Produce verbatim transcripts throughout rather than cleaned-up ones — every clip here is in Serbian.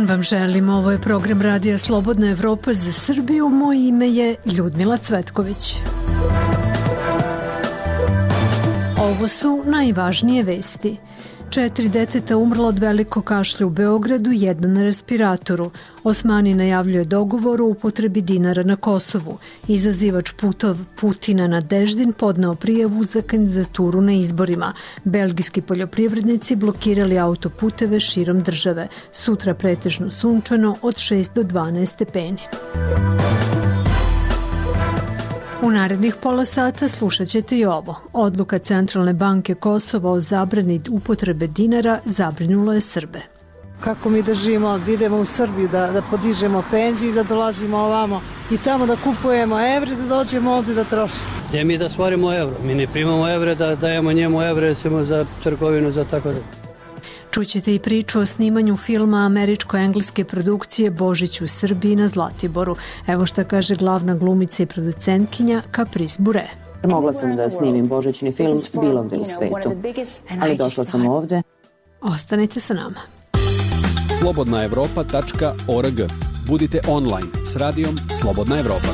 dan vam želim. Ovo je program Radija Slobodna Evropa za Srbiju. Moje ime je Ljudmila Cvetković. Ovo su najvažnije vesti. Četiri deteta umrla od velikog kašlja u Beogradu, jedna na respiratoru. Osmani najavljuje dogovor o upotrebi dinara na Kosovu. Izazivač putov Putina Nadeždin podneo prijavu za kandidaturu na izborima. Belgijski poljoprivrednici blokirali autoputeve širom države. Sutra pretežno sunčano od šest do dvanaest stepeni. U narednih pola sata slušat ćete i ovo. Odluka Centralne banke Kosova o zabrani upotrebe dinara zabrinula je Srbe. Kako mi da živimo, da idemo u Srbiju, da, da podižemo penzije i da dolazimo ovamo i tamo da kupujemo evre, da dođemo ovdje da trošimo. Gdje mi da stvorimo evro? Mi ne primamo evre, da dajemo njemu evre recimo za trgovinu, za tako da. Čućete i priču o snimanju filma američko-engleske produkcije Božić u Srbiji na Zlatiboru. Evo šta kaže glavna glumica i producentkinja Caprice Bure. Mogla sam da snimim božićni film bilo gde u svetu, ali došla sam ovde. Ostanite sa nama. slobodna evropa tačka org. Budite online s radijom Slobodna Evropa.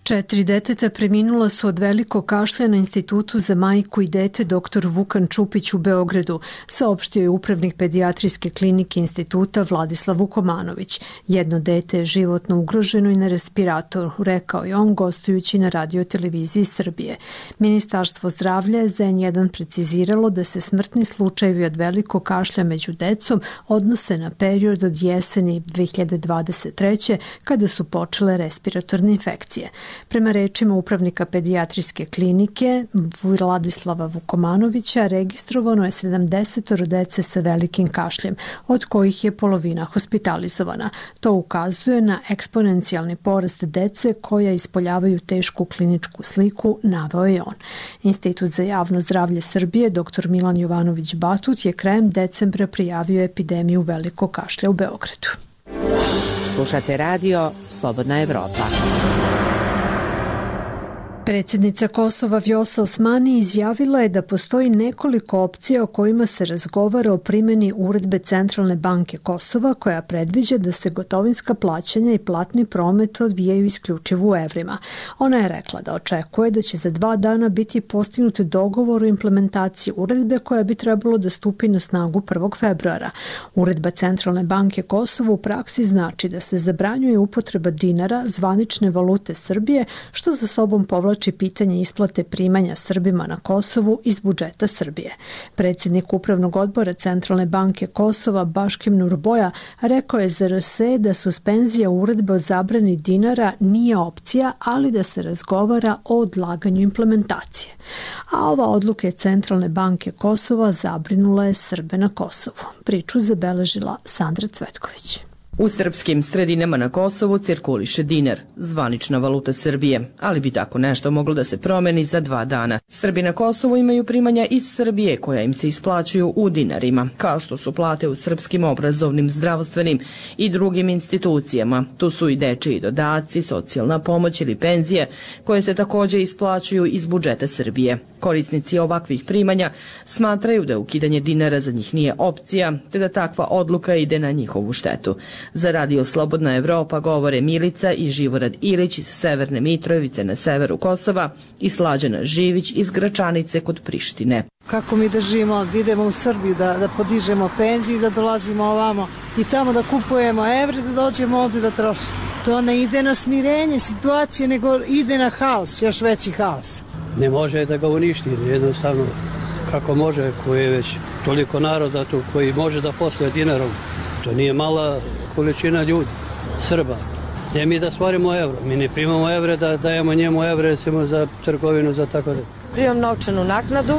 Četiri deteta preminula su od velikog kašlja na Institutu za majku i dete dr Vukan Čupić u Beogradu, saopštio je upravnik pedijatrijske klinike instituta Vladislav Vukomanović. Jedno dete je životno ugroženo i na respiratoru, rekao je on gostujući na radioteleviziji Srbije. Ministarstvo zdravlja je za en jedan preciziralo da se smrtni slučajevi od velikog kašlja među decom odnose na period od jeseni dve hiljade dvadeset treće kada su počele respiratorne infekcije. Prema rečima upravnika pedijatrijske klinike Vladislava Vukomanovića, registrovano je sedamdeset dece sa velikim kašljem, od kojih je polovina hospitalizovana. To ukazuje na eksponencijalni porast dece koja ispoljavaju tešku kliničku sliku, naveo je on. Institut za javno zdravlje Srbije, dr Milan Jovanović Batut, je krajem decembra prijavio epidemiju velikog kašlja u Beogradu. Slušate radio Slobodna Evropa. Predsjednica Kosova Vjosa Osmani izjavila je da postoji nekoliko opcija o kojima se razgovara o primjeni uredbe Centralne banke Kosova koja predviđa da se gotovinska plaćanja i platni promet odvijaju isključivo u evrima. Ona je rekla da očekuje da će za dva dana biti postignut dogovor o implementaciji uredbe koja bi trebalo da stupi na snagu prvog februara. Uredba Centralne banke Kosova u praksi znači da se zabranjuje upotreba dinara, zvanične valute Srbije, što za sobom povlači pitanje isplate primanja Srbima na Kosovu iz budžeta Srbije. Predsjednik Upravnog odbora Centralne banke Kosova Baškim Nurboja rekao je za er es da suspenzija uredbe o zabrani dinara nije opcija, ali da se razgovara o odlaganju implementacije. A ova odluka Centralne banke Kosova zabrinula je Srbe na Kosovu. Priču zabeležila Sandra Cvetković. U srpskim sredinama na Kosovu cirkuliše dinar, zvanična valuta Srbije, ali bi tako nešto moglo da se promeni za dva dana. Srbi na Kosovu imaju primanja iz Srbije koja im se isplaćuju u dinarima, kao što su plate u srpskim obrazovnim, zdravstvenim i drugim institucijama. Tu su i dečiji dodaci, socijalna pomoć ili penzije koje se također isplaćuju iz budžeta Srbije. Korisnici ovakvih primanja smatraju da ukidanje dinara za njih nije opcija, te da takva odluka ide na njihovu štetu. Za radio Slobodna Evropa govore Milica i Živorad Ilić iz Severne Mitrovice na severu Kosova i Slađana Živić iz Gračanice kod Prištine. Kako mi da živimo, da idemo u Srbiju, da, da podižemo penzije i da dolazimo ovamo i tamo da kupujemo evre, da dođemo ovdje da trošimo. To ne ide na smirenje situacije, nego ide na haos, još veći haos. Ne može da ga uništi, jednostavno kako može, koji je već toliko naroda tu, koji može da posluje dinarom. To nije mala količina ljudi, Srba. Gdje mi da stvorimo evro? Mi ne primamo evre, da dajemo njemu evre recimo za trgovinu, za tako da. Primam novčanu naknadu,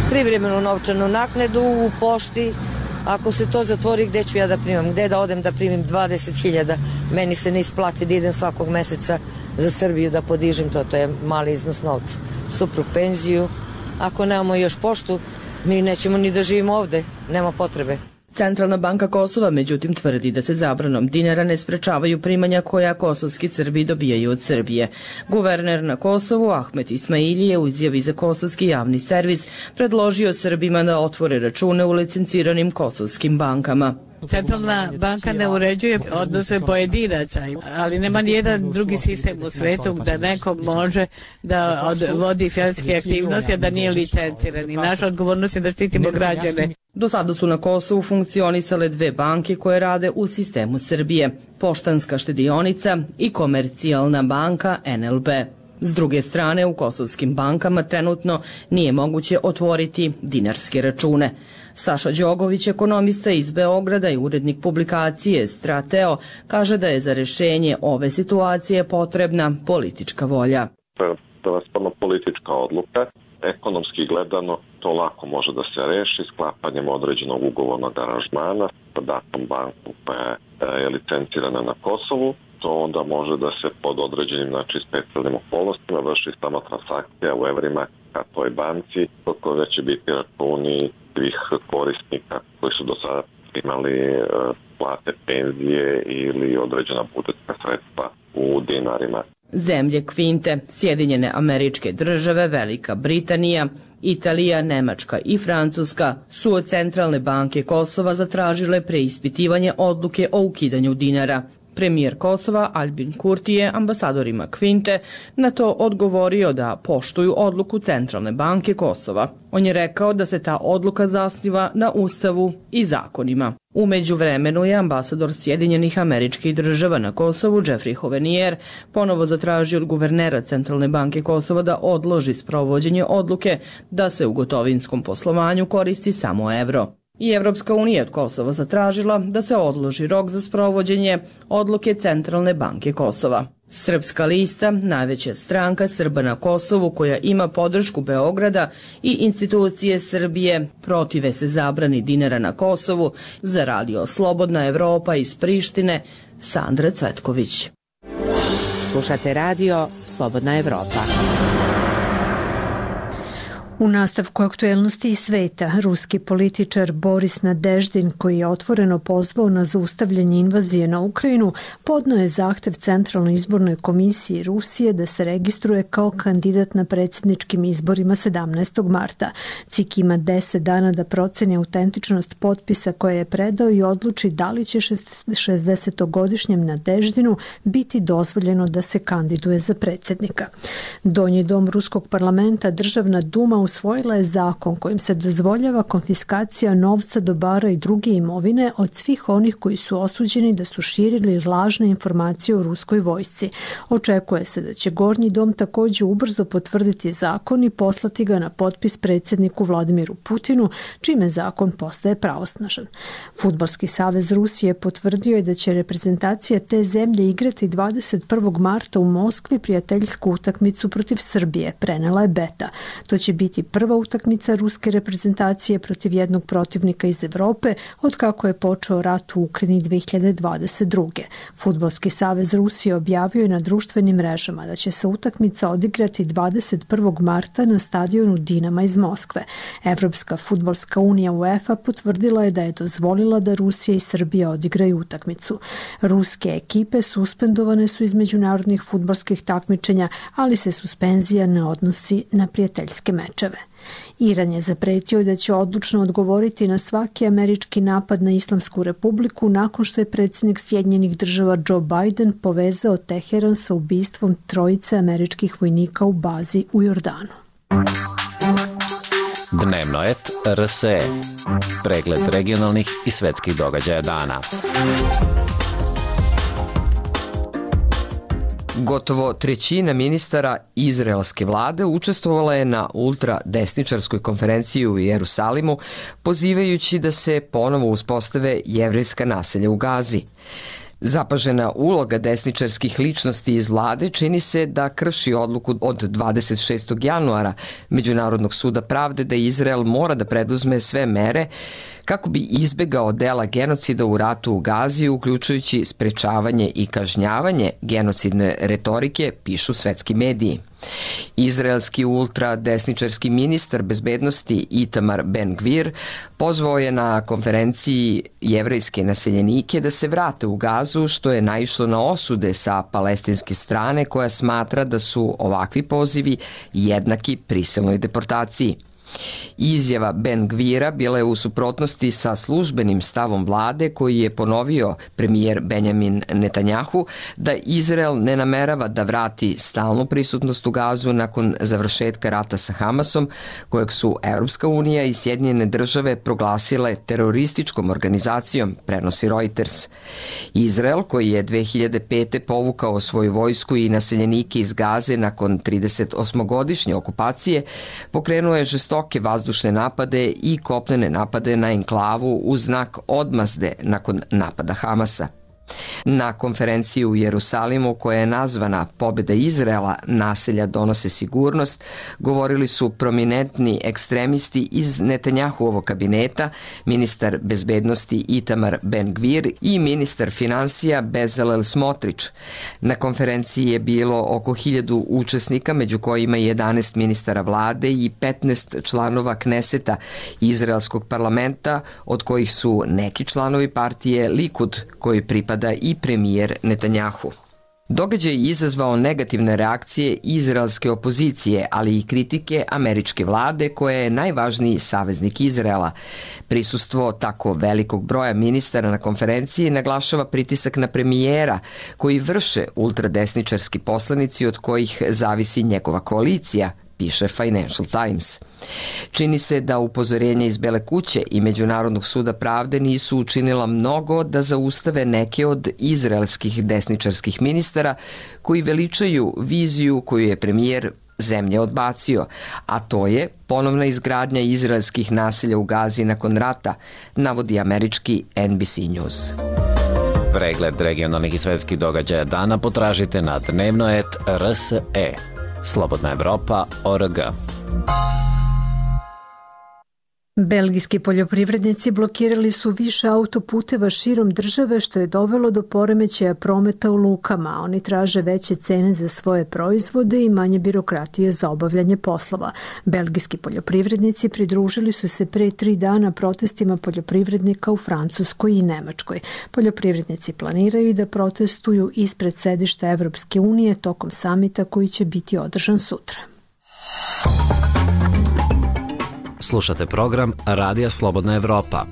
privremenu novčanu naknadu u pošti. Ako se to zatvori, gde ću ja da primam? Gde da odem da primim dvadeset hiljada? Meni se ne isplati da idem svakog meseca za Srbiju da podižem to. To je mali iznos novca. Suprug penziju. Ako nemamo još poštu, mi nećemo ni da živimo ovde. Nema potrebe. Centralna banka Kosova međutim tvrdi da se zabranom dinara ne sprečavaju primanja koja kosovski Srbi dobijaju od Srbije. Guverner na Kosovu Ahmet Ismaili je u izjavi za kosovski javni servis predložio Srbima da otvore račune u licenciranim kosovskim bankama. Centralna banka ne uređuje odnose pojedinaca, ali nema nijedan drugi sistem u svetu da neko može da vodi finansijske aktivnosti, a da nije licenciran. I naša odgovornost je da štitimo građane. Do sada su na Kosovu funkcionisale dve banke koje rade u sistemu Srbije, Poštanska štedionica i Komercijalna banka N L B. S druge strane, u kosovskim bankama trenutno nije moguće otvoriti dinarske račune. Saša Đogović, ekonomista iz Beograda i urednik publikacije Strateo, kaže da je za rešenje ove situacije potrebna politička volja. To je prevashodno politička odluka. Ekonomski gledano to lako može da se reši sklapanjem određenog ugovornog aranžmana sa datom banku koja je licencirana na Kosovu. To onda može da se pod određenim, znači, specijalnim okolnostima vrši samo transakcija u evrima ka toj banci, koje će biti računi svih korisnika koji su do sada imali plate, penzije ili određena budžetska sredstva u dinarima. Zemlje Kvinte, Sjedinjene Američke Države, Velika Britanija, Italija, Nemačka i Francuska su od Centralne banke Kosova zatražile preispitivanje odluke o ukidanju dinara. Premijer Kosova Albin Kurti je ambasadorima Kvinte na to odgovorio da poštuju odluku Centralne banke Kosova. On je rekao da se ta odluka zasniva na Ustavu i zakonima. U međuvremenu je ambasador Sjedinjenih Američkih Država na Kosovu Jeffrey Hovenier ponovo zatražio od guvernera Centralne banke Kosova da odloži sprovođenje odluke da se u gotovinskom poslovanju koristi samo evro. I Evropska unija od Kosova zatražila da se odloži rok za sprovođenje odluke Centralne banke Kosova. Srpska lista, najveća stranka Srba na Kosovu koja ima podršku Beograda i institucije Srbije, protive se zabrani dinara na Kosovu, za radio Slobodna Evropa iz Prištine, Sandra Cvetković. Slušate radio Slobodna Evropa. U nastavku aktuelnosti i sveta, ruski političar Boris Nadeždin, koji je otvoreno pozvao na zaustavljanje invazije na Ukrajinu, podneo je zahtev Centralnoj izbornoj komisiji Rusije da se registruje kao kandidat na predsjedničkim izborima sedamnaestog marta. C I K ima deset dana da proceni autentičnost potpisa koje je predao i odluči da li će šezdesetogodišnjem Nadeždinu biti dozvoljeno da se kandiduje za predsjednika. Donji dom ruskog parlamenta, Državna duma, usvojila je zakon kojim se dozvoljava konfiskacija novca, dobara i druge imovine od svih onih koji su osuđeni da su širili lažne informacije o ruskoj vojsci. Očekuje se da će Gornji dom također ubrzo potvrditi zakon i poslati ga na potpis predsjedniku Vladimiru Putinu, čime zakon postaje pravosnažan. Fudbalski savez Rusije potvrdio je da će reprezentacija te zemlje igrati dvadeset prvog marta u Moskvi prijateljsku utakmicu protiv Srbije, prenela je Beta. To će biti prva utakmica ruske reprezentacije protiv jednog protivnika iz Evrope od kako je počeo rat u Ukrajini dve hiljade dvadeset druge. Fudbalski savez Rusije objavio je na društvenim mrežama da će se utakmica odigrati dvadeset prvog marta na stadionu Dinama iz Moskve. Evropska fudbalska unija UEFA potvrdila je da je dozvolila da Rusija i Srbija odigraju utakmicu. Ruske ekipe suspendovane su iz međunarodnih fudbalskih takmičenja, ali se suspenzija ne odnosi na prijateljske mečeve. Iran je zapretio da će odlučno odgovoriti na svaki američki napad na Islamsku republiku nakon što je predsjednik Sjedinjenih Država Joe Biden povezao Teheran sa ubistvom trojice američkih vojnika u bazi u Jordanu. Dnevnoet R S E. Pregled regionalnih i svetskih događaja dana. Gotovo trećina ministara izraelske vlade učestvovala je na ultradesničarskoj konferenciji u Jerusalimu, pozivajući da se ponovo uspostave jevrejska naselja u Gazi. Zapažena uloga desničarskih ličnosti iz vlade čini se da krši odluku od dvadeset šestog januara Međunarodnog suda pravde da Izrael mora da preduzme sve mere kako bi izbegao dela genocida u ratu u Gazi, uključujući sprečavanje i kažnjavanje genocidne retorike, pišu svetski mediji. Izraelski ultradesničarski ministar bezbednosti Itamar Ben-Gvir pozvao je na konferenciji jevrejske naseljenike da se vrate u Gazu, što je naišlo na osude sa palestinske strane koja smatra da su ovakvi pozivi jednaki prisilnoj deportaciji. Izjava Ben-Gvira bila je u suprotnosti sa službenim stavom vlade koji je ponovio premijer Benjamin Netanjahu da Izrael ne namerava da vrati stalnu prisutnost u Gazu nakon završetka rata sa Hamasom, kojeg su Evropska unija i Sjedinjene države proglasile terorističkom organizacijom, prenosi Reuters. Izrael, koji je dve hiljade pete povukao svoju vojsku i naseljenike iz Gaze nakon tridesetosmogodišnje okupacije, pokrenuo je žestoke vazdušne napade i kopnene napade na enklavu u znak odmazde nakon napada Hamasa. Na konferenciji u Jerusalimu, koja je nazvana Pobjeda Izraela, naselja donose sigurnost, govorili su prominentni ekstremisti iz Netanjahuovog kabineta, ministar bezbednosti Itamar Ben-Gvir i ministar finansija Bezalel Smotrić. Na konferenciji je bilo oko hiljadu učesnika, među kojima je jedanaest ministara vlade i petnaest članova Kneseta, izraelskog parlamenta, od kojih su neki članovi partije Likud, koji pripada i premijer Netanjahu. Događaj je izazvao negativne reakcije izraelske opozicije, ali i kritike američke vlade koja je najvažniji saveznik Izraela. Prisustvo tako velikog broja ministara na konferenciji naglašava pritisak na premijera koji vrše ultradesničarski poslanici od kojih zavisi njegova koalicija, piše Financial Times. Čini se da upozorenja iz Bele kuće i Međunarodnog suda pravde nisu učinila mnogo da zaustave neke od izraelskih desničarskih ministara koji veličaju viziju koju je premijer zemlje odbacio, a to je ponovna izgradnja izraelskih naselja u Gazi nakon rata, navodi američki N B C News. Pregled regionalnih i svetskih događaja dana potražite na dnevnoet R S E. Slobodna Evropa, O R G. Belgijski poljoprivrednici blokirali su više autoputeva širom države, što je dovelo do poremećaja prometa u lukama. Oni traže veće cene za svoje proizvode i manje birokratije za obavljanje poslova. Belgijski poljoprivrednici pridružili su se pre tri dana protestima poljoprivrednika u Francuskoj i Nemačkoj. Poljoprivrednici planiraju da protestuju ispred sedišta Evropske unije tokom samita koji će biti održan sutra. Slušate program Radija Slobodna Evropa.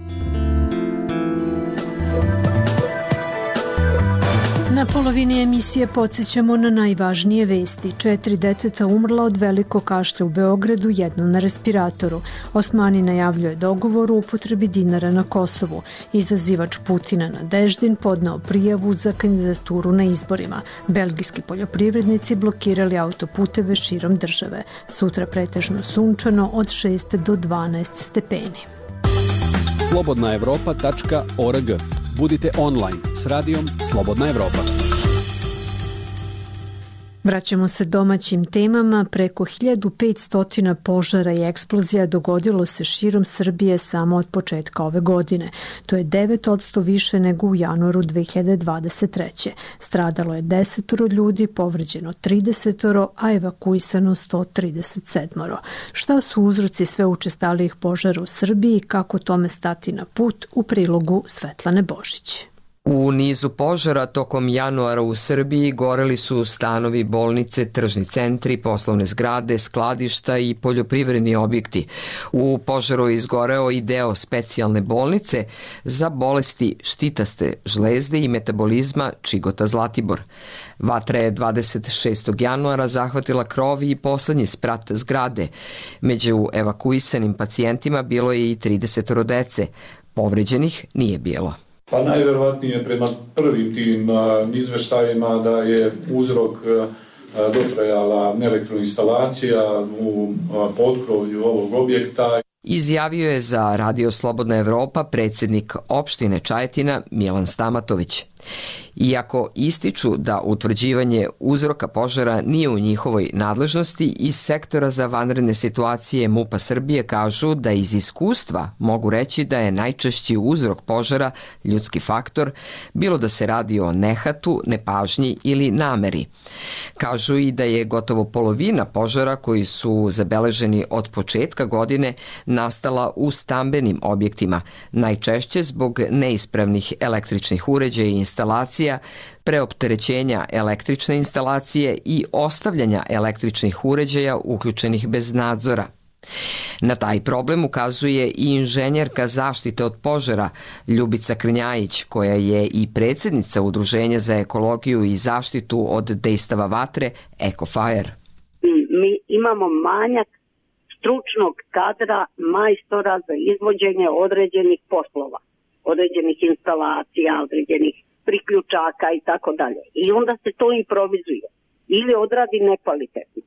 Na polovini emisije podsjećamo na najvažnije vesti. Četiri deteta umrla od velikog kašlja u Beogradu, jedno na respiratoru. Osmani najavljuje dogovor o upotrebi dinara na Kosovu. Izazivač Putina Nadeždin podneo prijavu za kandidaturu na izborima. Belgijski poljoprivrednici blokirali autoputeve širom države. Sutra pretežno sunčano od šest do dvanaest stepeni. slobodna evropa tačka org. Budite online s radijom Slobodna Evropa. Vraćamo se domaćim temama. Preko hiljadu petsto požara i eksplozija dogodilo se širom Srbije samo od početka ove godine. To je devet posto više nego u januaru dve hiljade dvadeset treće. Stradalo je desetoro ljudi, povređeno tridesetoro, a evakuisano sto trideset sedmoro. Šta su uzroci sve učestalijih požara u Srbiji i kako tome stati na put, u prilogu Svetlane Božić. U nizu požara tokom januara u Srbiji goreli su stanovi, bolnice, tržni centri, poslovne zgrade, skladišta i poljoprivredni objekti. U požaru je izgoreo i deo specijalne bolnice za bolesti štitaste žlezde i metabolizma Čigota Zlatibor. Vatra je dvadeset šestog januara zahvatila krov i poslednji sprat zgrade. Među evakuisanim pacijentima bilo je i tridesetoro dece. Povređenih nije bilo. Pa najverovatnije prema prvim tim izveštajima da je uzrok dotrajala elektroinstalacija u potkrovlju ovog objekta. Izjavio je za Radio Slobodna Evropa predsjednik opštine Čajetina Milan Stamatović. Iako ističu da utvrđivanje uzroka požara nije u njihovoj nadležnosti, iz sektora za vanredne situacije MUP-a Srbije kažu da iz iskustva mogu reći da je najčešći uzrok požara ljudski faktor, bilo da se radi o nehatu, nepažnji ili nameri. Kažu i da je gotovo polovina požara koji su zabeleženi od početka godine nastala u stambenim objektima, najčešće zbog neispravnih električnih uređaja i instalacija, preopterećenja električne instalacije i ostavljanja električnih uređaja uključenih bez nadzora. Na taj problem ukazuje i inženjerka zaštite od požara Ljubica Krnjajić, koja je i predsjednica Udruženja za ekologiju i zaštitu od dejstava vatre EcoFire. Mi imamo manjak stručnog kadra majstora za izvođenje određenih poslova, određenih instalacija, određenih priključaka i tako dalje. I onda se to improvizuje ili odradi nekvalitetno.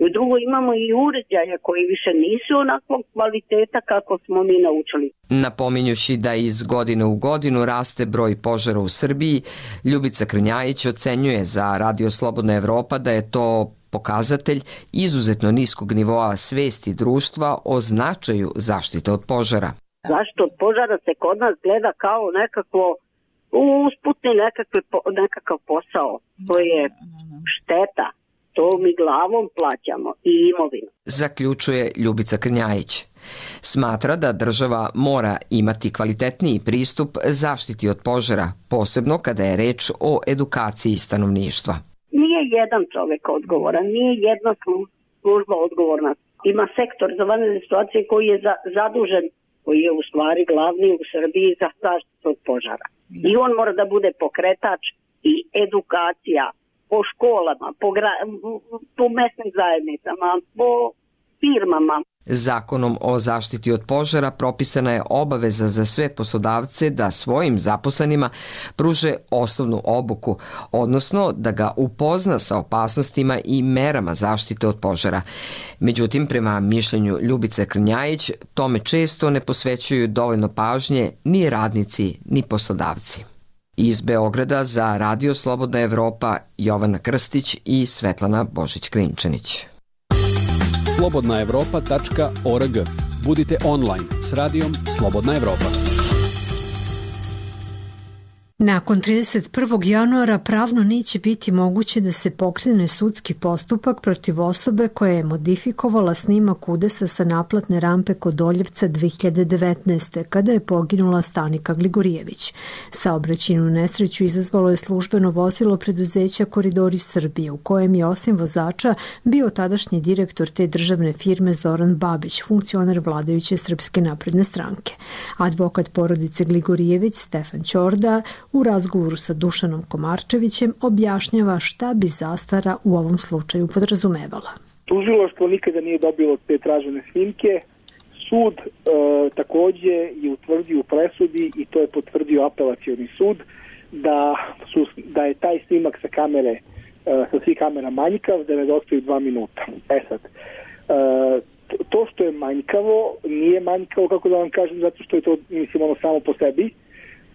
I drugo, imamo i uređaje koji više nisu onakvog kvaliteta kako smo mi naučili. Napominjući da iz godine u godinu raste broj požara u Srbiji, Ljubica Krnjajić ocenjuje za Radio Slobodna Evropa da je to pokazatelj izuzetno niskog nivoa svesti društva o značaju zaštite od požara. Zaštita od požara se kod nas gleda kao nekako usputni nekakve, nekakav posao. To je šteta. To mi glavom plaćamo i imovinu. Zaključuje Ljubica Krnjajić. Smatra da država mora imati kvalitetniji pristup zaštiti od požara, posebno kada je reč o edukaciji stanovništva. Nije jedan čovjek odgovoran, nije jedna služba odgovorna. Ima sektor za vanredne situacije koji je za, zadužen, koji je u stvari glavni u Srbiji za zaštitu od požara. I on mora da bude pokretač i edukacija po školama, po, gra, po mesnim zajednicama, po firmama. Zakonom o zaštiti od požara propisana je obaveza za sve poslodavce da svojim zaposlenima pruže osnovnu obuku, odnosno da ga upozna sa opasnostima i merama zaštite od požara. Međutim, prema mišljenju Ljubice Krnjajić, tome često ne posvećuju dovoljno pažnje ni radnici, ni poslodavci. Iz Beograda za Radio Slobodna Evropa Jovana Krstić i Svetlana Božić-Krinčanić. slobodna evropa tačka org. Budite online s radijom Slobodna Evropa. Nakon trideset prvog januara pravno neće biti moguće da se pokrene sudski postupak protiv osobe koja je modifikovala snimak udesa sa naplatne rampe kod Doljevca dve hiljade devetnaeste. kada je poginula Stanika Gligorijević. Saobraćajnu nesreću izazvalo je službeno vozilo preduzeća Koridori Srbije, u kojem je osim vozača bio tadašnji direktor te državne firme Zoran Babić, funkcioner vladajuće Srpske napredne stranke. Advokat porodice Gligorijević Stefan Ćorda u razgovoru sa Dušanom Komarčevićem objašnjava šta bi zastara u ovom slučaju podrazumevala. Tužilaštvo nikada nije dobilo te tražene snimke. Sud e, takođe je utvrdio u presudi i to je potvrdio apelacioni sud da, su, da je taj snimak sa kamere, e, sa svih kamera manjkav, da nedostaju dva minuta. E sad, e, to što je manjkavo nije manjkavo, kako da vam kažem, zato što je to, mislim, ono samo po sebi,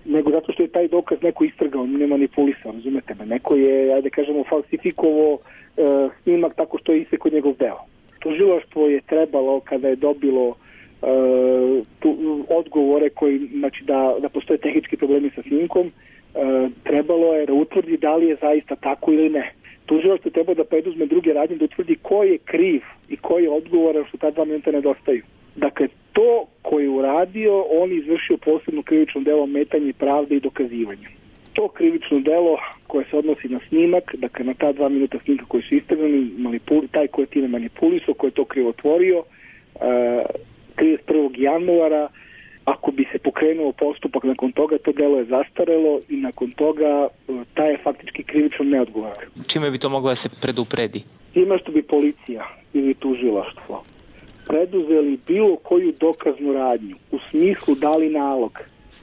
nego zato što je taj dokaz neko istrgao, ne manipulisao, razumete me. Neko je, ajde kažemo, falsifikovo e, snimak tako što je isekao njegov deo. Tužilaštvo je trebalo, kada je dobilo e, tu, odgovore koji, znači da, da postoje tehnički problemi sa snimkom, e, trebalo je da utvrdi da li je zaista tako ili ne. Tužilaštvo treba da preduzme druge radnje, da utvrdi ko je kriv i ko je odgovoran što ta dva minuta nedostaju. Dakle, to koji je uradio, on je izvršio posebno krivično delo ometanje pravde i dokazivanja. To krivično delo koje se odnosi na snimak, dakle na ta dva minuta snimka koji su istrgani, taj koji je time manipulisao, koji je to krivotvorio, uh, trideset prvog januara, ako bi se pokrenuo postupak nakon toga, to delo je zastarelo i nakon toga uh, taj je faktički krivično neodgovoran. Čime bi to moglo da se predupredi? Time što bi policija ili tužilaštvo preduzeli bilo koju dokaznu radnju u smislu dali nalog,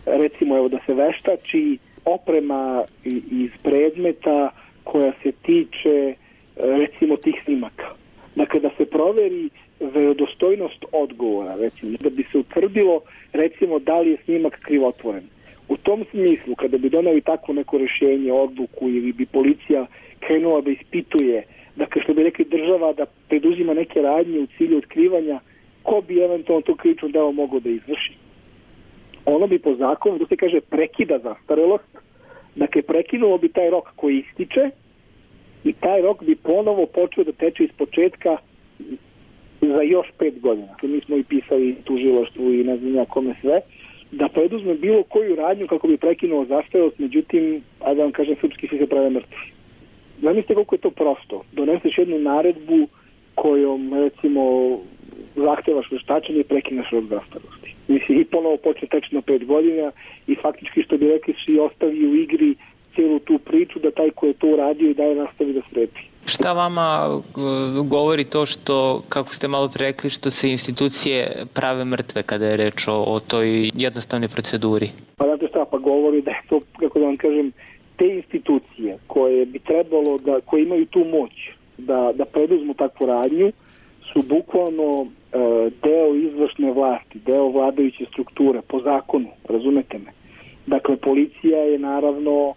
recimo evo da se veštači oprema iz predmeta koja se tiče recimo tih snimaka. Dakle, da se proveri verodostojnost odgovora, recimo, da bi se utvrdilo, recimo, da li je snimak krivotvoren. U tom smislu, kada bi doneli takvo neko rješenje, odluku ili bi policija krenula da ispituje, dakle što bi rekli država da preduzima neke radnje u cilju otkrivanja ko bi eventualno to krivično delo mogao da izvrši, ono bi po zakonu, da se kaže, prekida zastarelost, dakle prekinulo bi taj rok koji ističe i taj rok bi ponovo počeo da teče iz početka za još pet godina. Mi smo i pisali tužilaštvu i ne znam ja kome sve, da preduzme bilo koju radnju kako bi prekinuo zastarelost, međutim, a da vam kažem, srpski svi se prave mrtvi. Zamislite koliko je to prosto. Doneseš jednu naredbu kojom, recimo, zahtevaš veštačenje i prekineš rok zastarelosti. Mislim, i ponovo počne tečno pet godina i faktički, što bi rekli, si ostavi u igri cijelu tu priču da taj ko je to uradio i dalje nastavi da strepi. Šta vama govori to što, kako ste malo pre rekli, što se institucije prave mrtve kada je reč o, o toj jednostavnoj proceduri? Pa znate šta, pa govori da je to, kako da vam kažem, te institucije koje bi trebalo da, koje imaju tu moć da, da preduzmu takvu radnju, su bukvalno e, deo izvršne vlasti, deo vladajuće strukture, po zakonu, razumete me. Dakle, policija je naravno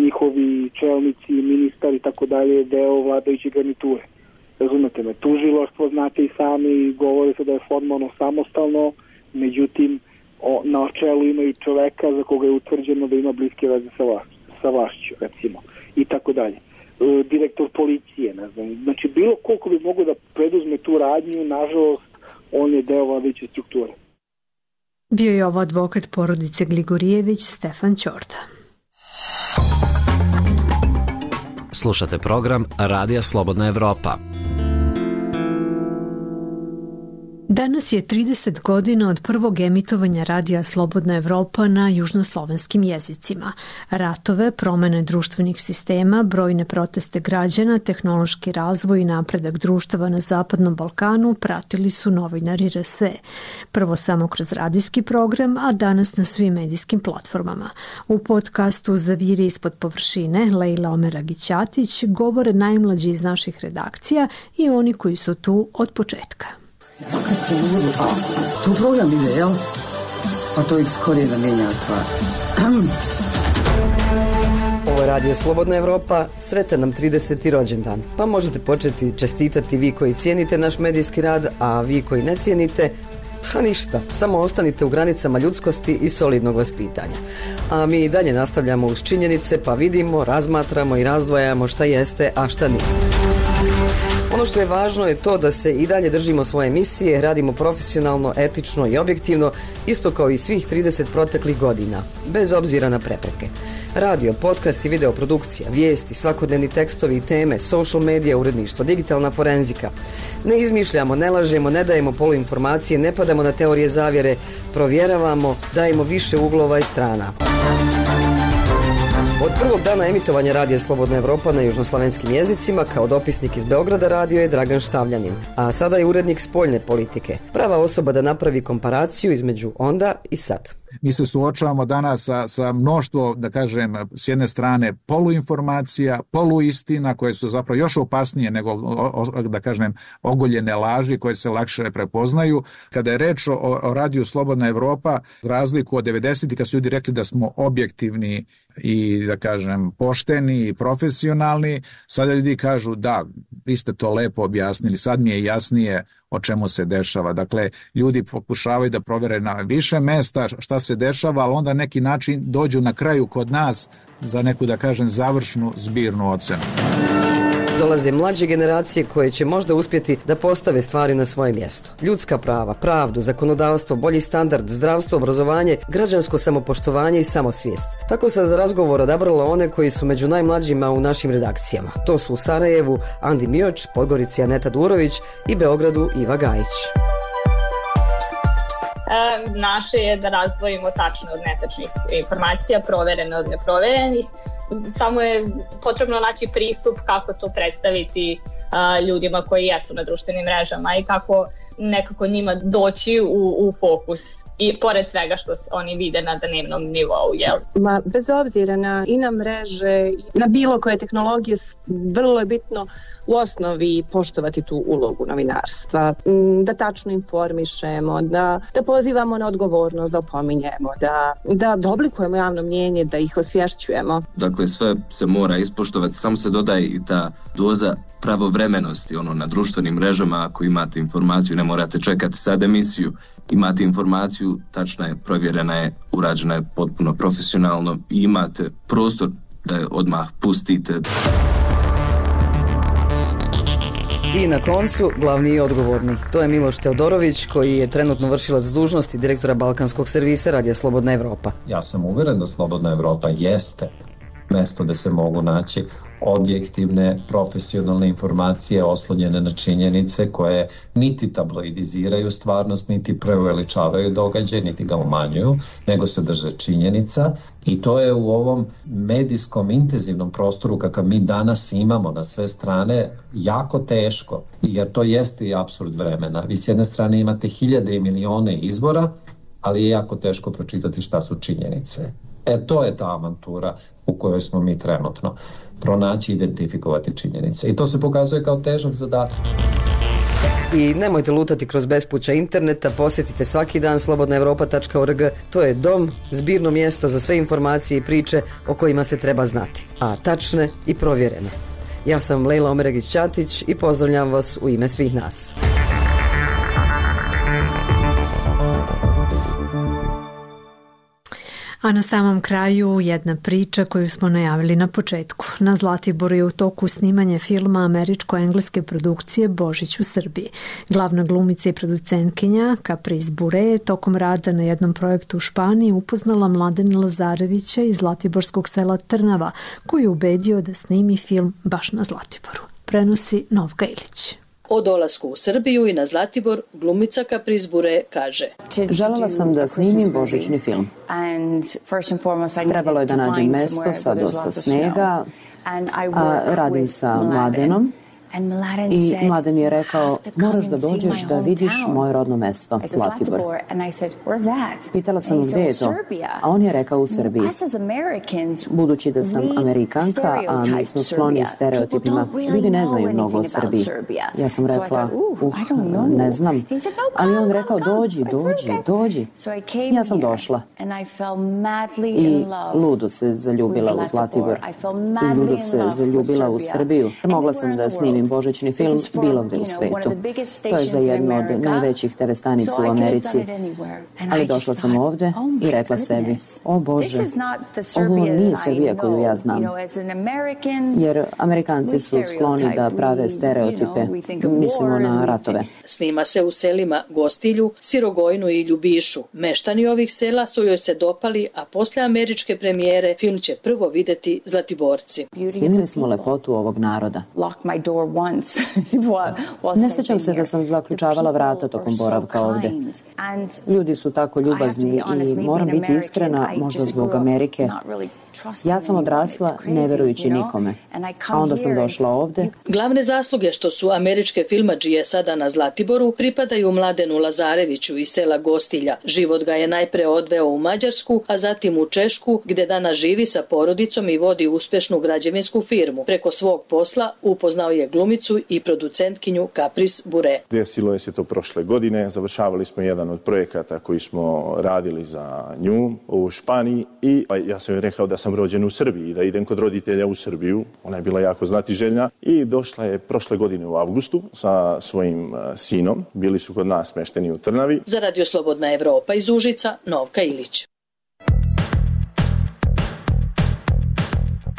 njihovi čelnici, ministar i tako dalje, deo vladajuće garniture. Razumete me, tužilaštvo, znate i sami, govore se da je formalno samostalno, međutim, o, na čelu imaju čoveka za koga je utvrđeno da ima bliske veze sa, vlašću, sa vlašću, recimo, i tako dalje. E, direktor policije, ne znam, znači bilo koliko bi mogo da preduzme tu radnju, nažalost, on je deo vladajuće strukture. Bio je ovo advokat porodice Gligorijević, Stefan Ćorda. Slušate program Radija Slobodna Evropa. Danas je trideset godina od prvog emitovanja Radija Slobodna Evropa na južnoslovenskim jezicima. Ratove, promene društvenih sistema, brojne proteste građana, tehnološki razvoj i napredak društava na Zapadnom Balkanu pratili su novinari R S E. Prvo samo kroz radijski program, a danas na svim medijskim platformama. U podcastu Zaviri ispod površine, Lejla Omeragić-Ćatić, govore najmlađi iz naših redakcija i oni koji su tu od početka. Tu program ide, jel? Pa to ih skorije da menja stvar. Ovo je Radio Slobodna Evropa, sretan nam trideseti rođendan. Pa možete početi čestitati vi koji cijenite naš medijski rad, a vi koji ne cijenite, pa ništa, samo ostanite u granicama ljudskosti i solidnog vaspitanja. A mi i dalje nastavljamo uz činjenice, pa vidimo, razmatramo i razdvajamo šta jeste, a šta nije. Ono što je važno je to da se i dalje držimo svoje misije, radimo profesionalno, etično i objektivno, isto kao i svih trideset proteklih godina, bez obzira na prepreke. Radio, podcast i videoprodukcija, vijesti, svakodnevni tekstovi i teme, social medija, uredništvo, digitalna forenzika. Ne izmišljamo, ne lažemo, ne dajemo poluinformacije, ne padamo na teorije zavjere, provjeravamo, dajemo više uglova i strana. Od prvog dana emitovanja Radija Slobodna Evropa na južnoslovenskim jezicima kao dopisnik iz Beograda radio je Dragan Štavljanin, a sada je urednik spoljne politike. Prava osoba da napravi komparaciju između onda i sad. Mi se suočavamo danas sa, sa mnoštvo, da kažem, s jedne strane poluinformacija, poluistina koje su zapravo još opasnije nego, o, da kažem, ogoljene laži koje se lakše prepoznaju. Kada je reč o, o Radiju Slobodna Evropa, razliku od devedesetih kad su ljudi rekli da smo objektivni i, da kažem, pošteni i profesionalni, sada ljudi kažu da, vi ste to lepo objasnili, sad mi je jasnije o čemu se dešava. Dakle, ljudi pokušavaju da provere na više mesta šta se dešava, ali onda neki način dođu na kraju kod nas za neku, da kažem, završnu zbirnu ocenu. Dolaze mlađe generacije koje će možda uspjeti da postave stvari na svoje mjesto. Ljudska prava, pravdu, zakonodavstvo, bolji standard, zdravstvo, obrazovanje, građansko samopoštovanje i samosvijest. Tako sam za razgovor odabrala one koji su među najmlađima u našim redakcijama. To su u Sarajevu Andi Mioč, Podgorici Aneta Durović i Beogradu Iva Gajić. Naše je da razdvojimo tačno od netačnih informacija, proverene od neproverenih. Samo je potrebno naći pristup kako to predstaviti a, ljudima koji jesu na društvenim mrežama i kako nekako njima doći u, u fokus i pored svega što oni vide na dnevnom nivou. Jel? Ma, bez obzira na i na mreže, na bilo koje tehnologije, vrlo je bitno u osnovi poštovati tu ulogu novinarstva, da tačno informišemo, da, da pozivamo na odgovornost, da opominjemo, da, da, da oblikujemo javno mnjenje, da ih osvješćujemo. Dakle, sve se mora ispoštovati, samo se dodaje i ta doza pravovremenosti, ono, na društvenim mrežama. Ako imate informaciju, ne morate čekati sad emisiju, imate informaciju, tačna je, provjerena je, urađena je potpuno profesionalno i imate prostor da je odmah pustite. I na koncu, glavni i odgovorni. To je Miloš Teodorović, koji je trenutno vršilac dužnosti direktora Balkanskog servisa Radija Slobodna Evropa. Ja sam uveren da Slobodna Evropa jeste mesto gde se mogu naći objektivne, profesionalne informacije oslonjene na činjenice koje niti tabloidiziraju stvarnost, niti preuveličavaju događaj, niti ga umanjuju, nego se drže činjenica. I to je u ovom medijskom intenzivnom prostoru kakav mi danas imamo na sve strane jako teško, jer to jeste i apsurd vremena. Vi s jedne strane imate hiljade i milione izvora, ali je jako teško pročitati šta su činjenice. E, to je ta avantura u kojoj smo mi trenutno. Pronaći i identifikovati činjenice. I to se pokazuje kao težak zadatak. I nemojte lutati kroz bespuća interneta, posjetite svaki dan slobodna evropa tačka org. To je dom, zbirno mjesto za sve informacije i priče o kojima se treba znati, a tačne i provjerene. Ja sam Lejla Omeregić-Ćatić i pozdravljam vas u ime svih nas. A na samom kraju jedna priča koju smo najavili na početku. Na Zlatiboru je u toku snimanje filma američko-engleske produkcije Božić u Srbiji. Glavna glumica i producentkinja Caprice Bure je tokom rada na jednom projektu u Španiji upoznala Mladena Lazarevića iz zlatiborskog sela Trnava, koji je ubedio da snimi film baš na Zlatiboru. Prenosi Novka Ilić. O dolasku u Srbiju i na Zlatibor glumica Caprice Bure kaže: Želela sam da snimim božićni film. Trebalo je da nađem mesto sa dosta snega, a radim sa Mladenom. I Mladen je rekao, moraš da dođeš da vidiš moje rodno mesto, Zlatibor. Pitala sam gdje je to, a on je rekao u Srbiji. Budući da sam Amerikanka, a mi smo skloni stereotipima, ljudi ne znaju mnogo o Srbiji. Ja sam rekla, uh, ne znam, ali on rekao, dođi, dođi, dođi. Ja sam došla i ludo se zaljubila u Zlatibor i ludo se zaljubila u Srbiju. Mogla sam da snimim božićni film bilo gde u svetu. To je za jednu od najvećih te ve stanica u Americi. Ali došla sam ovde i rekla sebi, o Bože, ovo nije Srbija koju ja znam. Jer Amerikanci su skloni da prave stereotipe, mislimo na ratove. Snima se u selima Gostilju, Sirogojnu i Ljubišu. Meštani ovih sela su joj se dopali, a posle američke premijere film će prvo videti Zlatiborci. Snimili smo lepotu ovog naroda. Ne sjećam se da sam zaključavala vrata tokom boravka ovde. Ljudi su tako ljubazni i moram biti iskrena, možda zbog Amerike. Ja sam odrasla ne verujući nikome, a onda sam došla ovde. Glavne zasluge što su američke filmadžije sada na Zlatiboru pripadaju Mladenu Lazareviću iz sela Gostilja. Život ga je najpre odveo u Mađarsku, a zatim u Češku, gde danas živi sa porodicom i vodi uspešnu građevinsku firmu. Preko svog posla upoznao je glumicu i producentkinju Caprice Bure. Desilo je se to prošle godine, završavali smo jedan od projekata koji smo radili za nju u Španiji i ja sam joj rekao da sam rođen u Srbiji, da idem kod roditelja u Srbiju. Ona je bila jako znatiželjna i došla je prošle godine u avgustu sa svojim sinom. Bili su kod nas smešteni u Trnavi. Za Radio Slobodna Evropa iz Užica, Novka Ilić.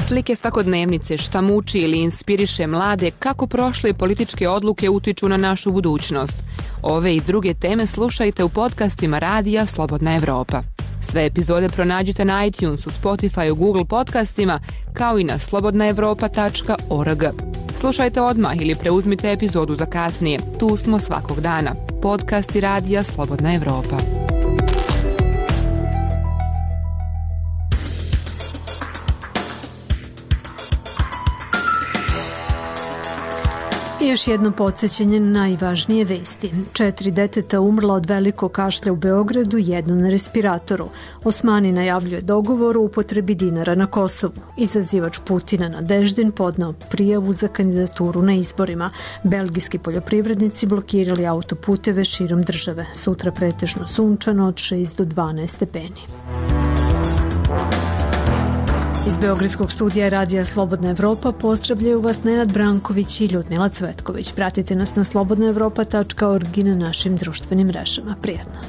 Slike svakodnevnice, šta muči ili inspiriše mlade, kako prošle političke odluke utiču na našu budućnost. Ove i druge teme slušajte u podcastima Radija Slobodna Evropa. Sve epizode pronađite na iTunesu, Spotify, Google podcastima, kao i na slobodna evropa tačka org. Slušajte odmah ili preuzmite epizodu za kasnije. Tu smo svakog dana. Podcasti Radija Slobodna Evropa. I još jedno podsjećanje na najvažnije vesti. Četiri deteta umrla od velikog kašlja u Beogradu, jedno na respiratoru. Osmani najavljuje dogovor o upotrebi dinara na Kosovu. Izazivač Putina Nadeždin podneo prijavu za kandidaturu na izborima. Belgijski poljoprivrednici blokirali autoputeve širom države. Sutra pretežno sunčano od šest do dvanaest stepeni. Iz Beogradskog studija Radija Slobodna Evropa pozdravljaju vas Nenad Branković i Ljudmila Cvetković. Pratite nas na slobodna evropa tačka org i na našim društvenim mrežama. Prijatno!